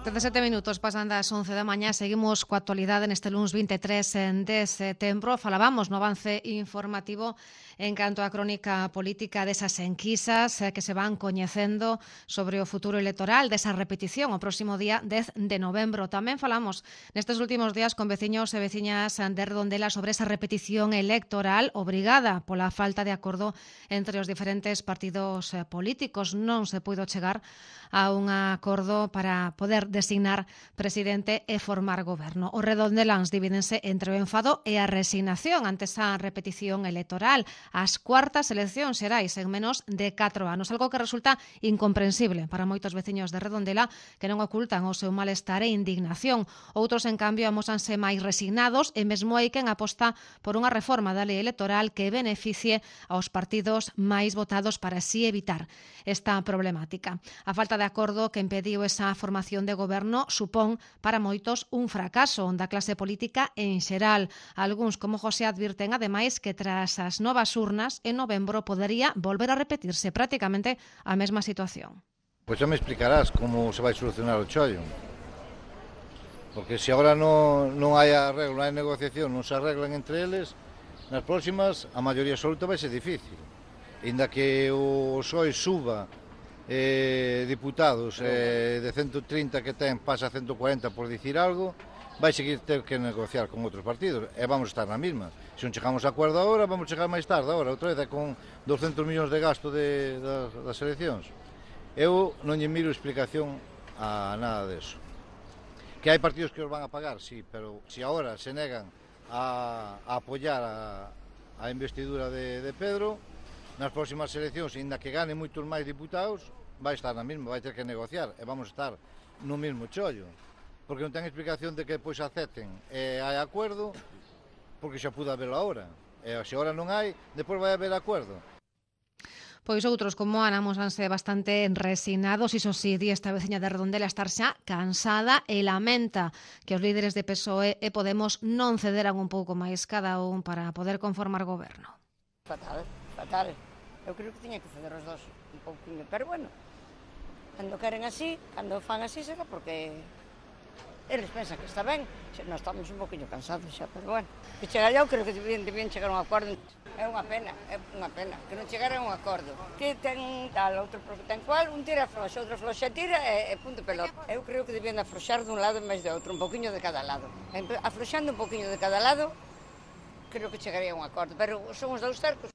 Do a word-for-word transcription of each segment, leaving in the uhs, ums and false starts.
dezasete minutos pasan das once da mañá. Seguimos coa actualidade neste luns vinte e tres de setembro. Falábamos no avance informativo en canto á crónica política desas enquisas que se van coñecendo sobre o futuro electoral desa repetición o próximo día dez de novembro. Tamén falamos nestes últimos días con veciños e veciñas de Redondela sobre esa repetición electoral obrigada pola falta de acordo entre os diferentes partidos políticos. Non se puido chegar a un acordo para poder designar presidente e formar goberno. Os redondeláns divídense entre o enfado e a resignación ante esa repetición electoral. As cuartas eleccións xerais en menos de catro anos, algo que resulta incomprensible para moitos veciños de Redondela que non ocultan o seu malestar e indignación. Outros, en cambio, amósanse máis resignados e mesmo hai quen aposta por unha reforma da lei electoral que beneficie aos partidos máis votados para así evitar esta problemática. A falta de acordo que impediu esa formación de goberno supón para moitos un fracaso da clase política en xeral. Algúns, como José, advirten ademais que tras as novas urnas en novembro podería volver a repetirse prácticamente a mesma situación. Pois xa me explicarás como se vai solucionar o chollo. Porque se agora non, non hai arreglo, non hai negociación, non se arreglan entre eles, nas próximas a maioría absoluta vai ser difícil. Inda que o P S O E suba eh, diputados eh, de ciento trinta que ten pasa a ciento cuarenta por dicir algo, vai seguir ter que negociar con outros partidos e vamos estar na mesma. Se non chegamos a acordo agora, vamos chegar máis tarde agora, outra vez con doscentos millóns de gasto de, das, das eleccións. Eu non lle miro explicación a nada deso. Que hai partidos que os van a pagar, sí, pero se agora se negan a, a apoiar a, a investidura de, de Pedro, nas próximas eleccións, ainda que gane moitos máis diputados, vai estar na mesma, vai ter que negociar e vamos estar no mesmo chollo. Porque non ten explicación de que depois acepten e hai acordo, porque xa pude haber ahora. E se agora non hai, depois vai haber acordo. Pois outros, como Ana, mosanse bastante resignados. Iso si, di esta veciña de Redondela estar xa cansada e lamenta que os líderes de P S O E e Podemos non cederan un pouco máis cada un para poder conformar goberno. Fatal, fatal. Eu creo que tiña que ceder os dos un pouquinho, pero bueno, cando queren así, cando fan así, será porque eles pensan que está ben. Nós estamos un poquinho cansados xa, pero bueno. Que chegar eu creo que debían, debían chegar a un acordo. É unha pena, é unha pena, que non chegara a un acordo. Que ten tal, outro ten cual, un tira afloxa, outro afloxa tira e, e punto pelota. Eu creo que debían afloxar dun lado en vez de outro, un poquinho de cada lado. Afloxando un poquinho de cada lado, creo que chegaría a un acordo, pero son os dous cercos.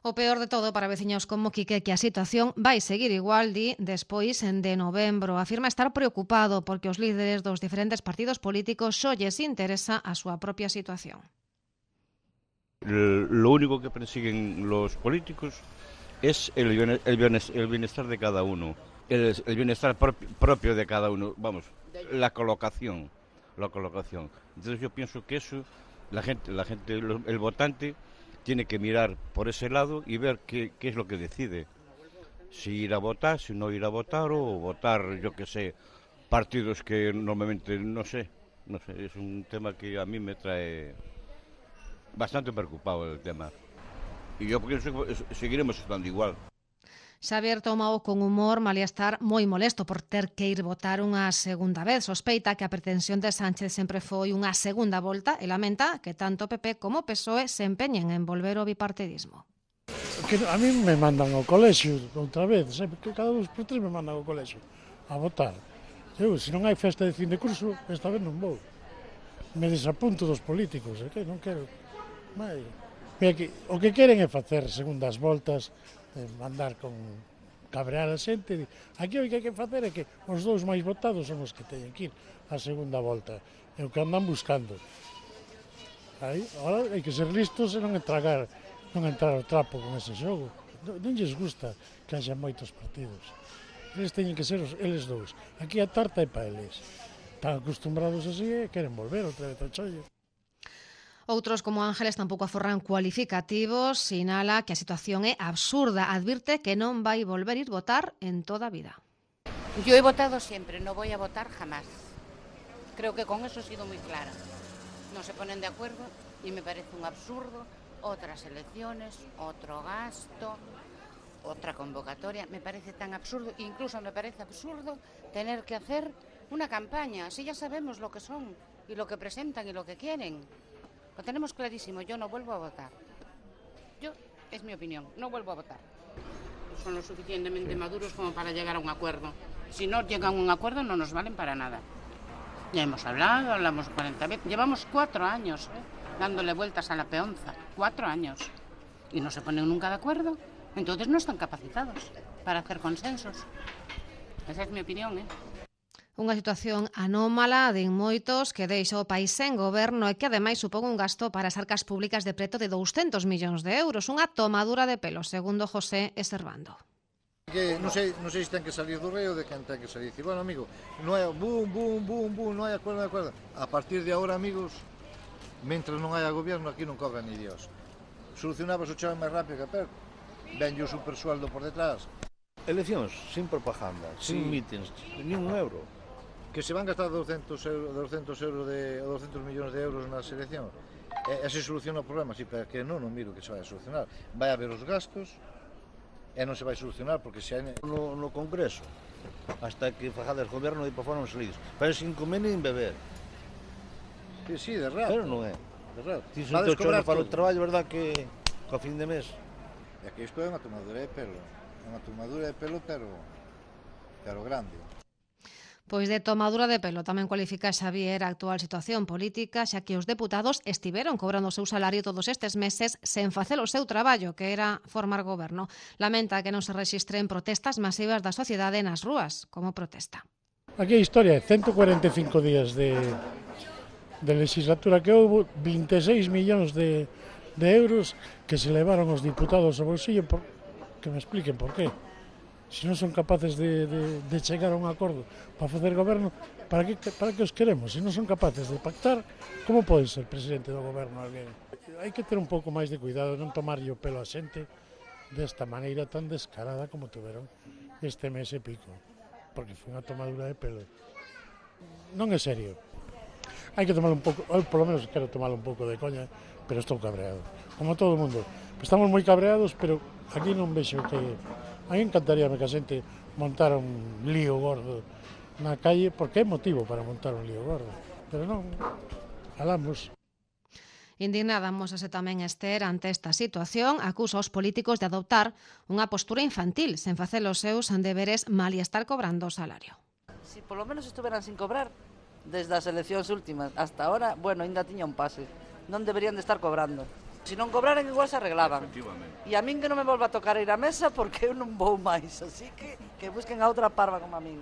O peor de todo para veciños como Quique que a situación vai seguir igual, di, despois de novembro. Afirma estar preocupado porque os líderes dos diferentes partidos políticos só lles interesa a súa propia situación. Lo único que persiguen los políticos es el, el bienestar de cada uno, el, el bienestar propio de cada uno, vamos, la colocación, la colocación. Entonces yo pienso que eso, la gente, la gente, el votante tiene que mirar por ese lado y ver qué, qué es lo que decide. Si ir a votar, si no ir a votar o votar, yo que sé, partidos que normalmente no sé, no sé, es un tema que a mí me trae bastante preocupado el tema. Y yo pienso que seguiremos estando igual. Xavier tomao con humor, malia estar moi molesto por ter que ir votar unha segunda vez. Sospeita que a pretensión de Sánchez sempre foi unha segunda volta e lamenta que tanto P P como P S O E se empeñen en volver ao bipartidismo. Que a mí me mandan ao colexio outra vez, sempre que cada dos por tres me mandan ao colexio a votar. Eu, se non hai festa de fin de curso, esta vez non vou. Me desapunto dos políticos, é que non quero. Mai. Que, o que queren é facer segundas voltas, eh, mandar con cabrear a xente. Aquí o que hai que facer é que os dous máis votados son os que teñen que ir a segunda volta. É o que andan buscando. Aí, agora hai que ser listos e non entragar, non entrar ao trapo con ese xogo. Non, non lles gusta que haxa moitos partidos. Eles teñen que ser os, eles dous. Aquí a tarta é para eles. Están acostumbrados así e queren volver outra vez ao chollo. Outros, como Ángeles, tampouco aforran cualificativos, sinala que a situación é absurda, advirte que non vai volver ir votar en toda a vida. Yo he votado siempre, no voy a votar jamás. Creo que con eso he sido muy clara. No se ponen de acuerdo y me parece un absurdo. Otras elecciones, otro gasto, otra convocatoria. Me parece tan absurdo, incluso me parece absurdo tener que hacer una campaña, así ya sabemos lo que son y lo que presentan y lo que quieren. Lo tenemos clarísimo, yo no vuelvo a votar. Yo, es mi opinión, no vuelvo a votar. Son lo suficientemente maduros como para llegar a un acuerdo. Si no llegan a un acuerdo no nos valen para nada. Ya hemos hablado, hablamos cuarenta veces. Llevamos cuatro años ¿eh? dándole vueltas a la peonza. Cuatro años. Y no se ponen nunca de acuerdo. Entonces no están capacitados para hacer consensos. Esa es mi opinión, ¿eh? Unha situación anómala de moitos que deixa o país sen goberno e que ademais supón un gasto para as arcas públicas de preto de douscentos millóns de euros. Unha tomadura de pelo, segundo José Eservando. Que non sei, non sei se ten que salir do rei ou de quen ten que salir. Dicir, bueno, amigo, non hai boom, boom, boom, boom, non hai acordo, non hai acordo. A partir de agora, amigos, mentras non haya goberno, aquí non cobra ni Dios. Solucionabas o chave máis rápido que a per. Ven o supersueldo por detrás. Eleccións sin propaganda, Sí. sin mítins, ni un euro. Que se van gastar douscentos euros, douscentos euros de, ou douscentos millóns de euros nas eleccións. E, e se soluciona o problema, si, para que non, non miro que se vai a solucionar. Vai haber os gastos e non se vai solucionar, porque se hai... No, no Congreso, hasta que fajades goberno e para fora non salidos. Pero sin comer nin beber. Sí, sí, de rato. Pero non é. De rato. Ti se Vades te chorro cobrar para o todo. traballo, verdad que co fin de mes. E que isto é unha tomadura de pelo. É unha tomadura de pelo, pero, pero grande. Pois de tomadura de pelo tamén cualifica Xavier a actual situación política, xa que os deputados estiveron cobrando o seu salario todos estes meses sen facer o seu traballo, que era formar goberno. Lamenta que non se rexistren protestas masivas da sociedade nas rúas, como protesta. Aquí a historia é ciento cuarenta e cinco días de, de legislatura que houve, vinte e seis millóns de, de euros que se levaron os diputados ao bolsillo, por, que me expliquen por qué. Se non son capaces de, de, de chegar a un acordo para facer goberno, para que, para que os queremos? Se non son capaces de pactar, como pode ser presidente do goberno alguén? Hai que ter un pouco máis de cuidado, non tomarlle o pelo a xente desta maneira tan descarada como tuveron este mes e pico, porque foi unha tomadura de pelo. Non é serio. Hai que tomar un pouco, eu polo menos quero tomar un pouco de coña, pero estou cabreado, como todo o mundo. Estamos moi cabreados, pero aquí non vexo que... A mí encantaríame que a xente montara un lío gordo na calle, porque é motivo para montar un lío gordo. Pero non, falamos. Indignada amosase tamén Ester ante esta situación, acusa aos políticos de adoptar unha postura infantil sen facer os seus deberes mal e estar cobrando o salario. Si polo menos estuveran sin cobrar desde as eleccións últimas hasta ahora, bueno, ainda tiña un pase. Non deberían de estar cobrando. Se non cobraran igual se arreglaban. E a min que non me volva a tocar ir á mesa porque eu non vou máis, así que que busquen a outra parva como a min.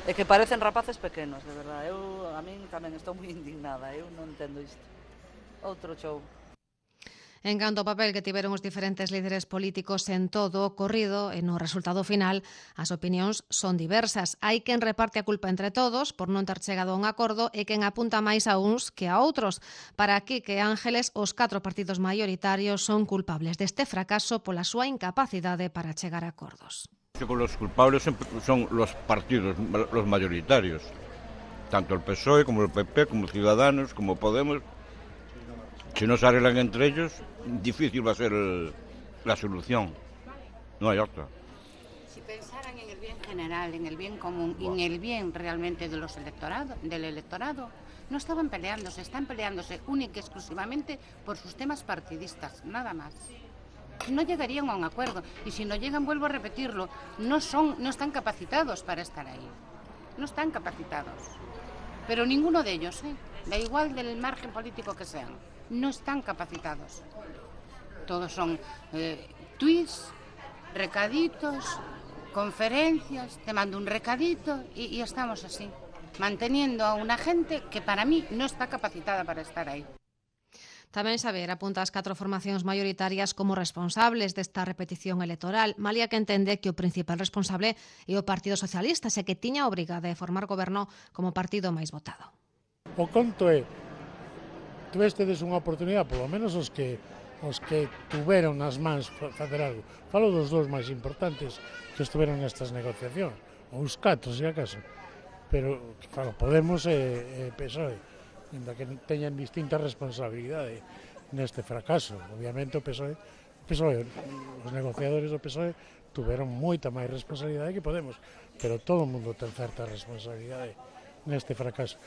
É que parecen rapaces pequenos, de verdade. Eu a min tamén estou moi indignada, eu non entendo isto. Outro show. En canto ao papel que tiveron os diferentes líderes políticos en todo o ocorrido e no resultado final, as opinións son diversas. Hai quen reparte a culpa entre todos por non ter chegado a un acordo e quen apunta máis a uns que a outros. Para Quique Ángeles, os catro partidos maioritarios son culpables deste fracaso pola súa incapacidade para chegar a acordos. Los culpables son los partidos, los mayoritarios, tanto el P S O E como el P P, como Ciudadanos, como Podemos. Si no se arreglan entre ellos, difícil va a ser el, la solución. No hay otra. Si pensaran en el bien general, en el bien común y en el bien realmente de los electorado, del electorado, no estaban peleándose, están peleándose única y exclusivamente por sus temas partidistas, nada más. No llegarían a un acuerdo y si no llegan, vuelvo a repetirlo, no son, no están capacitados para estar ahí. No están capacitados. Pero ninguno de ellos, ¿eh? Da igual del margen político que sean. No están capacitados. Todos son eh, tweets, recaditos, conferencias, te mando un recadito y, y estamos así, manteniendo a una gente que para mí no está capacitada para estar ahí. Tamén Xavier apunta as catro formacións maioritarias como responsables desta repetición electoral, malia que entende que o principal responsable é o Partido Socialista, xe que tiña a obriga de formar goberno como partido máis votado. O conto é, tuvestedes unha oportunidade, polo menos os que os que tuveron nas mans facer algo. Falo dos dous máis importantes que estuveron nestas negociacións, ou os catro, se acaso. Pero, claro, Podemos e, e P S O E, ainda que teñan distinta responsabilidade neste fracaso. Obviamente o P S O E, o P S O E, os negociadores do P S O E tuveron moita máis responsabilidade que Podemos, pero todo o mundo ten certa responsabilidade neste fracaso.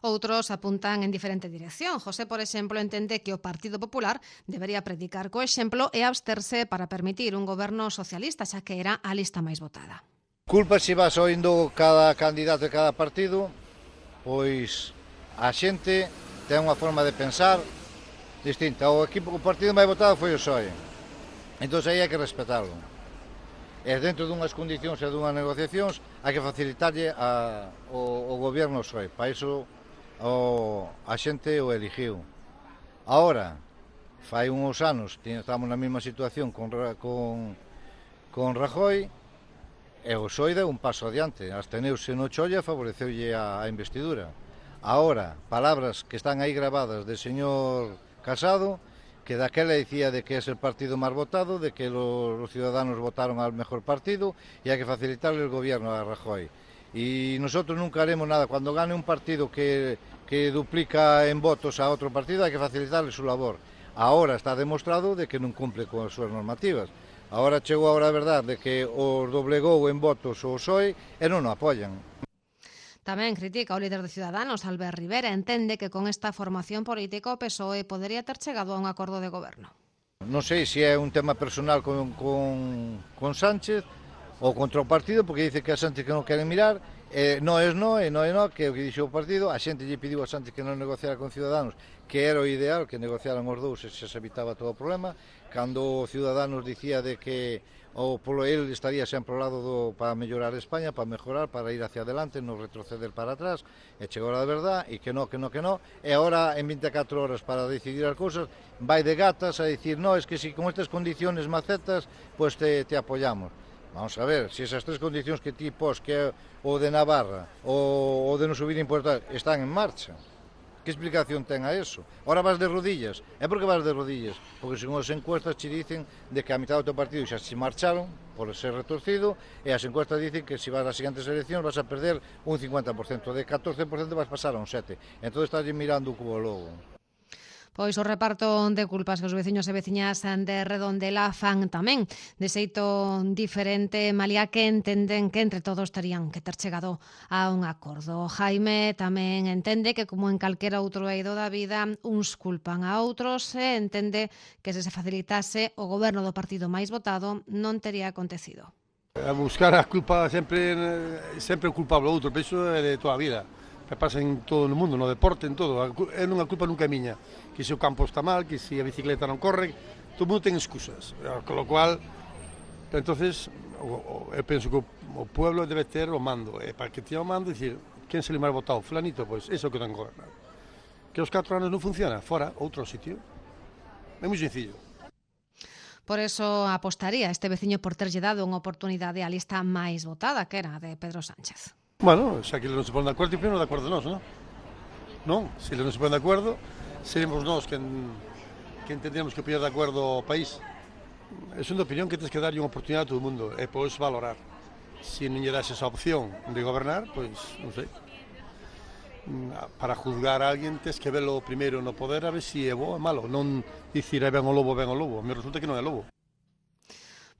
Outros apuntan en diferente dirección. José, por exemplo, entende que o Partido Popular debería predicar co exemplo e absterse para permitir un goberno socialista, xa que era a lista máis votada. Culpa se vas oindo cada candidato de cada partido, pois a xente ten unha forma de pensar distinta. O equipo, o partido máis votado foi o P S O E. Entón aí hai que respetarlo. E dentro dunhas condicións e dunhas negociacións hai que facilitarlle a, o, o goberno P S O E. Para iso o, a xente o eligiu. Ahora, fai uns anos, estamos na mesma situación con, con, con Rajoy, e o P S O E deu un paso adiante, absteneuse no cholla e favoreceulle a, a investidura. Ahora, palabras que están aí grabadas del señor Casado, que daquela decía de que es el partido más votado, de que los, los ciudadanos votaron al mejor partido y hay que facilitarle el gobierno a Rajoy. Y nosotros nunca haremos nada. Cuando gane un partido que, que duplica en votos a otro partido, hay que facilitarle su labor. Ahora está demostrado de que non cumple con as súas normativas. Ahora chegou a hora de verdade de que os doblegou en votos o P S O E e non o apoian. Tamén critica o líder de Ciudadanos, Albert Rivera, entende que con esta formación política o P S O E podería ter chegado a un acordo de goberno. Non sei se é un tema personal con, con, con Sánchez ou contra o partido, porque dice que a Sánchez que non queren mirar, eh, non é non, e non é non, que o que dixo o partido, a xente lle pediu a Sánchez que non negociara con Ciudadanos, que era o ideal, que negociaran os dous e se evitaba todo o problema, cando o Ciudadanos dicía de que o polo el estaría sempre ao lado do, para mellorar España, para mejorar, para ir hacia adelante, non retroceder para atrás, e chegou a verdad, e que non, que non, que non, e agora en veinticuatro horas para decidir as cousas, vai de gatas a dicir, no, es que si con estas condiciones macetas, pues te, te apoyamos. Vamos a ver, se esas tres condicións que ti pos, que é o de Navarra, o, o de non subir impostos, están en marcha. Que explicación ten a eso? Ahora vas de rodillas. É porque vas de rodillas? Porque según as encuestas te dicen de que a mitad do teu partido xa se marcharon por ser retorcido, e as encuestas dicen que se vas ás seguintes eleccións vas a perder un cincuenta por ciento, de catorce por ciento vas pasar a un sete por ciento. Entón estás mirando o cubo logo. Pois o reparto de culpas que os veciños e veciñas de Redondela fan tamén de xeito diferente, malia que entenden que entre todos terían que ter chegado a un acordo. Jaime tamén entende que, como en calquera outro eido da vida, uns culpan a outros e entende que se se facilitase o goberno do partido máis votado non tería acontecido. A buscar a culpa sempre sempre o culpable outro, pero iso é de toda a vida. Pasa en todo o mundo, no deporte, en todo. É unha culpa nunca é miña. Que se o campo está mal, que se a bicicleta non corre, todo o mundo ten excusas. Con lo cual, entonces, eu penso que o pueblo debe ter o mando. E para que teña o mando, dicir, quen se le máis votado? Fulanito, pois, eso que ten que gobernar. Que os catro anos non funciona, fora, outro sitio. É moi sencillo. Por eso apostaría este veciño por terlle dado unha oportunidade á lista máis votada, que era a de Pedro Sánchez. Bueno, xa que eles non se ponen de acordo, primero de acordo nós, non? Non, se eles non se ponen de acordo, seremos nós que, que entendemos que poñer de acordo o país. É unha opinión que tens que darlle unha oportunidade a todo o mundo e podes valorar. Se non lle das esa opción de gobernar, pois, non sei. Para juzgar a alguén tens que verlo primeiro no poder a ver se é bo ou malo. Non dicir, é ben o lobo, ben o lobo. Me resulta que non é lobo.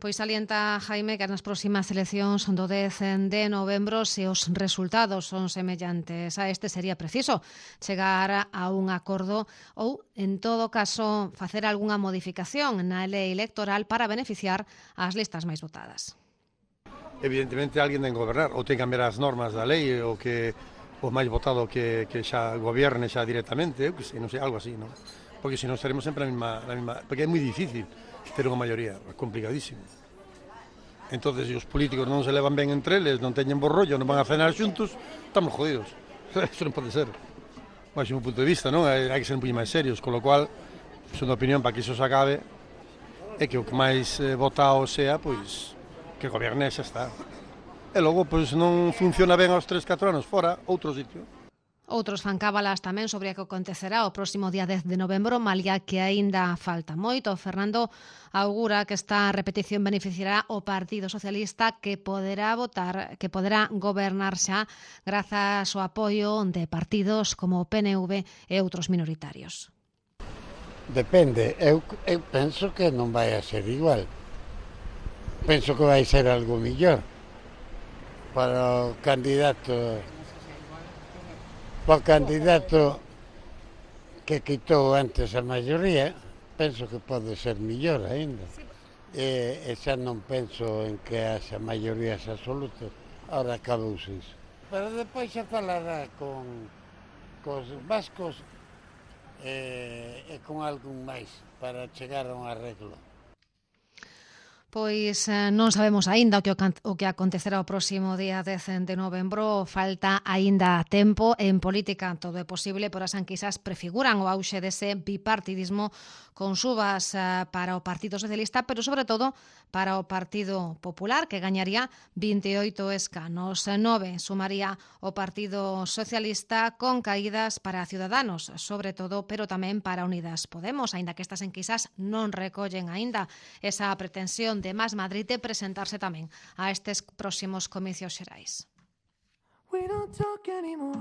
Pois salienta Jaime que nas próximas eleccións do dez de novembro, se os resultados son semellantes a este, sería preciso chegar a un acordo ou, en todo caso, facer algunha modificación na lei electoral para beneficiar as listas máis votadas. Evidentemente, alguén ten que gobernar ou ten que cambiar as normas da lei ou que o máis votado que, que xa gobierne xa directamente, eu que sei, non sei, algo así, non? Porque se non estaremos sempre na mesma, na mesma... Porque é moi difícil ter unha maioría, é complicadísimo. Entonces, se os políticos non se levan ben entre eles, non teñen bo rollo, non van a cenar xuntos, estamos jodidos. Eso non pode ser. Mas, un punto de vista, non? Hai que ser un pouco máis serios, con lo cual, son de opinión para que iso se acabe, é que o que máis eh, votado sea, pois, que gobierne xa está. E logo, pois, non funciona ben aos tres, catro anos, fora, outro sitio. Outros fan cábalas tamén sobre o que acontecerá o próximo día dez de novembro, malia que aínda falta moito. Fernando augura que esta repetición beneficiará o Partido Socialista, que poderá votar, que poderá gobernar xa grazas ao apoio de partidos como o P N V e outros minoritarios. Depende, eu, eu penso que non vai a ser igual. Penso que vai ser algo mellor para o candidato para o candidato que quitou antes a maioría, penso que pode ser mellor aínda. E, e xa non penso en que haxa maiorías absolutas, ahora acabouse iso. Pero depois xa falará con cos vascos e, e con algún máis para chegar a un arreglo. Pois eh, non sabemos aínda o que, o que acontecerá o próximo día dez de novembro. Falta aínda tempo. En política todo é posible, pero as enquisas prefiguran o auxe dese bipartidismo con subas eh, para o Partido Socialista, pero sobre todo para o Partido Popular, que gañaría vinte e oito escanos. Nove sumaría o Partido Socialista, con caídas para Ciudadanos, sobre todo, pero tamén para Unidas Podemos, aínda que estas enquisas non recollen aínda esa pretensión de Más Madrid de presentarse tamén a estes próximos comicios xerais. We don't talk anymore.